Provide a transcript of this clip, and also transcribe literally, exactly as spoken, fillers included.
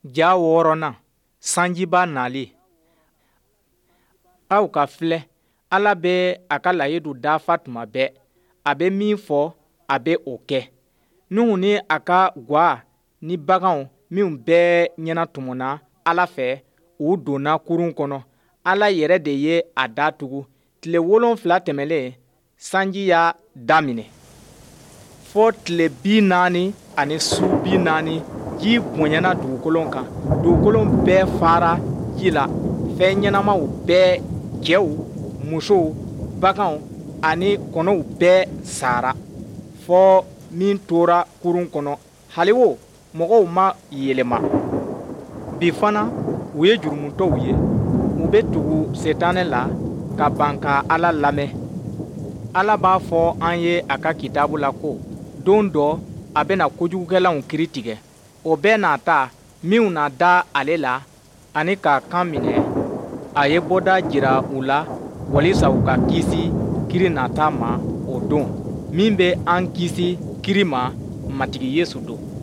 Ja wɔɔrɔnan, sanjiba nali. Aw ka filɛ, Ala bɛ a ka layidu dafa tuma bɛɛ. A bɛ min fɔ, a bɛ o kɛ. Nuhu ni a ka gwa ni baganw minw bɛɛ ɲɛnatɔmɔna Ala fɛ, u donna kurun kɔnɔ. Ala yɛrɛ de ye a da tugu. Tile wolonfila tɛmɛnlen, sanji y'a daminɛ. Fɔ tile bi naani ani su bi naani, ji bonyana dugukolo kan. Dugukolo bɛɛ fara ji la. Fɛn ɲɛnamaw bɛɛ, cɛw, musow, baganw ani kɔnɔw bɛɛ sara, fɔ min tora kurun kɔnɔ. Hali o, mɔgɔw ma yɛlɛma. Bi fana, u ye jurumutɔw ye. U bɛ tugu Setanɛ la ka ban ka Ala lamɛn. Ala b'a fɔ an ye a ka kitabu la ko don dɔ a bɛna kojugukɛlaw kiri tigɛ. O bɛɛ n'a ta, minw na da ale la ani k'a kan minɛ, a ye bɔda jira u la walisa u ka kisi kiri nata ma o don. Min bɛ an kisi kiri ma, Matigi Yesu don.